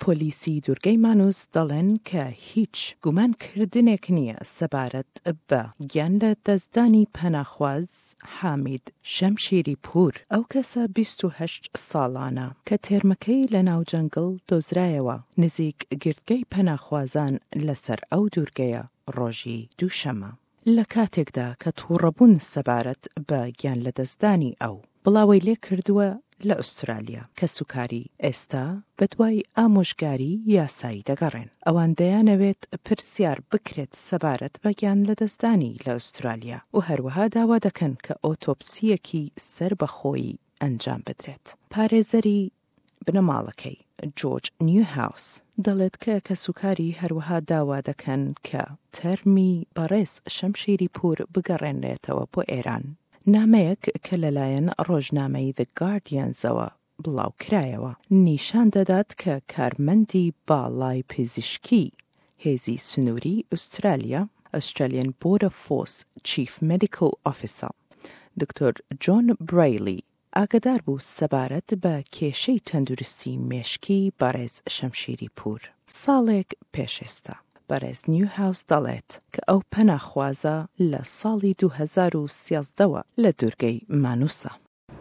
پۆلیسی دوورگەی مانوس دەڵێن کە هیچ گومان کردنێک نییە سەبارەت بە گیان لە دەستدانی پەناخواز حامید شەمشیری پوور، ئەو کەسە 28 ساڵانە کە تێرمەکەی لە ناو جەنگڵ دۆزرایەوە نزیک گردگەی پەناخوازان لەسەر ئەو دوورگەیە ڕۆژی دووشەممە. لە کاتێکدا کە تووڕەبوون سەبارەت بە گیانلەدەستدانی ئەو بڵاوەی لێکردووە لە ئوسترالیا، کەسوکاری ئێستا بەدوای ئامۆژگاری یاسایی دەگەڕێن. ئەوان دەیانەوێت پرسیار بکرێت سەبارەت بە گیانلەدەستدانی لە ئوسترالیا و هەروەها داوا دەکەن کە ئۆتۆپسییەکی سەربەخۆیی ئەنجام بدرێت. پارێزەری بنەماڵەکەی، جۆرج نیوهاوس، دەڵێت کە کەسوکاری هەروەها داوا دەکەن کە تەرمی بەڕێز شەمشیری پوور بگەڕێنرێتەوە بۆ ئێران. نامەیەک کە لەلایەن ڕۆژنامەی The Guardians-ەوە بڵاوکرایەوە، نیشان دەدات کە کارمەندی باڵای پزیشکی هێزی سنووری ئوسترالیا، Australian Border Force Chief Medical Officer، دکتۆر جۆن برەیلی ئاگەدار بوو سەبارەت بە کێشەی تەندروستی مێشکی بەڕێز شەمشیری پوور ساڵێک پێش ئێستا. بەڕێز نیوهاوس دەڵێت کە ئەو پەناخوازە لە ساڵی 2013 وە لە دوورگەی مانوسە.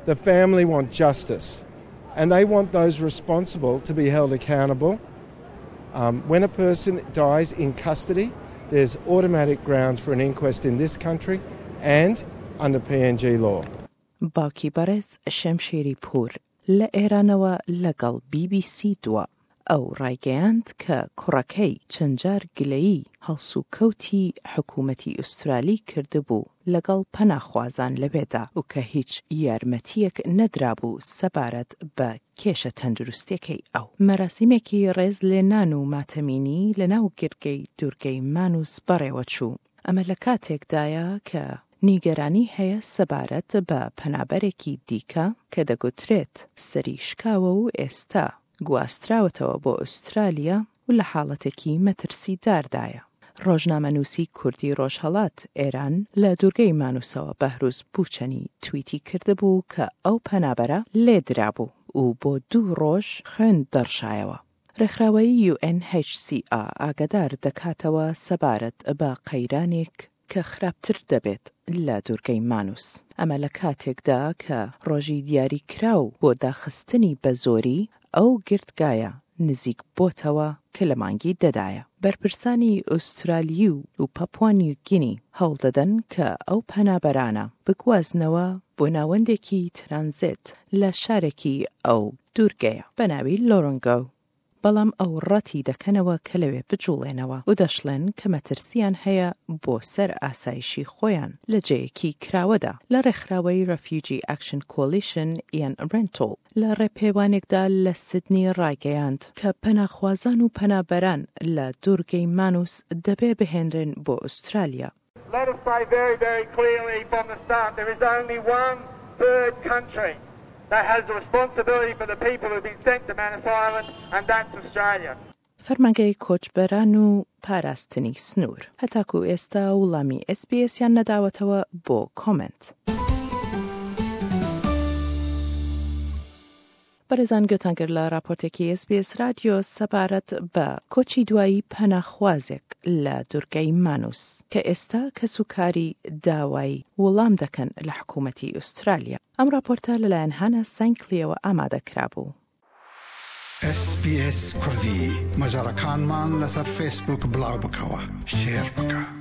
The family want justice and they want those responsible to be held accountable. Um, when a person dies in custody, there's automatic grounds for an inquest in this country and under PNG law. باوکی بەڕێز شەمشێری پوور لە ئێرانەوە لەگەڵ بی بی سی دوا. ئەو ڕایگەیاند کە کوڕەکەی چەند جار گلەیی هەڵسوکەوتی حکوومەتی ئوسترالی کردبوو لەگەڵ پەناخوازان لەوێدا و کە هیچ یارمەتییەک نەدرابوو سەبارەت بە کێشە تەندروستییەکەی ئەو. مەراسیمێکی ڕێزلێنان و ماتەمینی لەناو گرگەی دوورگەی مانوس بەڕێوەچوو. ئەمە لە کاتێکدایە کە نیگەرانی هەیە سەبارەت بە پەنابەرێکی دیکە کە دەگوترێت سەری شکاوە و ئێستا گواستراوەتەوە بۆ ئوسترالیا و لە حاڵەتێکی مەترسیداردایە. ڕۆژنامەنووسی کوردی ڕۆژهەڵات، ئێران، لە دوورگەی مانوسەوە بەهروز بوچەنی تویتی کردبوو کە ئەو پەنابەرە لێدرابوو و بۆ دوو ڕۆژ خوێن دەڕشایەوە. ڕێکخراوەی UNHCR ئاگادار دەکاتەوە سەبارەت بە قەیرانێک کە خراپتر دەبێت لە دوورگەی مانوس، ئەمە لە کاتێکدا کە ڕۆژی دیاریکراو بۆ داخستنی بەزۆری ئەو گردگایە نزیک بۆتەوە کە لە مانگی دەدایە. بەرپرسانی ئوسترالی و پاپوا نیوگینی هەوڵدەدەن کە ئەو پەنابەرانە بگوازنەوە بۆ ناوەندێکی ترانزێت لە شارێکی ئەو دوورگەیە بە ناوی لۆرنگۆ، بەڵام ئەو ڕەتی دەکەنەوە کە لەوێ بجوڵێنەوە و دەشڵێن کە مەترسییان هەیە بۆ سەر ئاسایشی خۆیان لە جێیەکی کراوەدا. لە ڕێکخراوەی Refugee Action Coalition ئیان ڕێنتۆڵ لە ڕێپێوانێکدا لە سیدنی ڕایگەیاند کە پەناخوازان و پەنابەران لە دوورگەی مانوس دەبێ بهێنرێن بۆ ئوسترالیا. Let us say very, very clearly from the start, there is only one third country that has the responsibility for the people who've been sent to Manus Island, and that's Australia. فەرمانگەی کۆچبەران و پاراستنی سنوور هەتاکو ئێستا وڵامی ئێس بی ئێسیان نەداوەتەوە بۆ کۆمێنت. بەڕێزان گوێتان کرد لە راپۆرتێکی ئێس بی ئێس رادیۆ سەبارەت بە کۆچی دوایی پەناخوازێک لە دورگەی مانوس کە ئێستا کەسوکاری داوای وڵام دەکەن لە حکوومەتی ئوسترالیا. ئەم راپۆرتە لەلایەن هانا سانکلیەوە ئامادە کرابوو. ئێس بی ئێس کوردی مەجەڕەکانمان لەسەر فەیسبووک بڵاو بکەوە شێر بکە.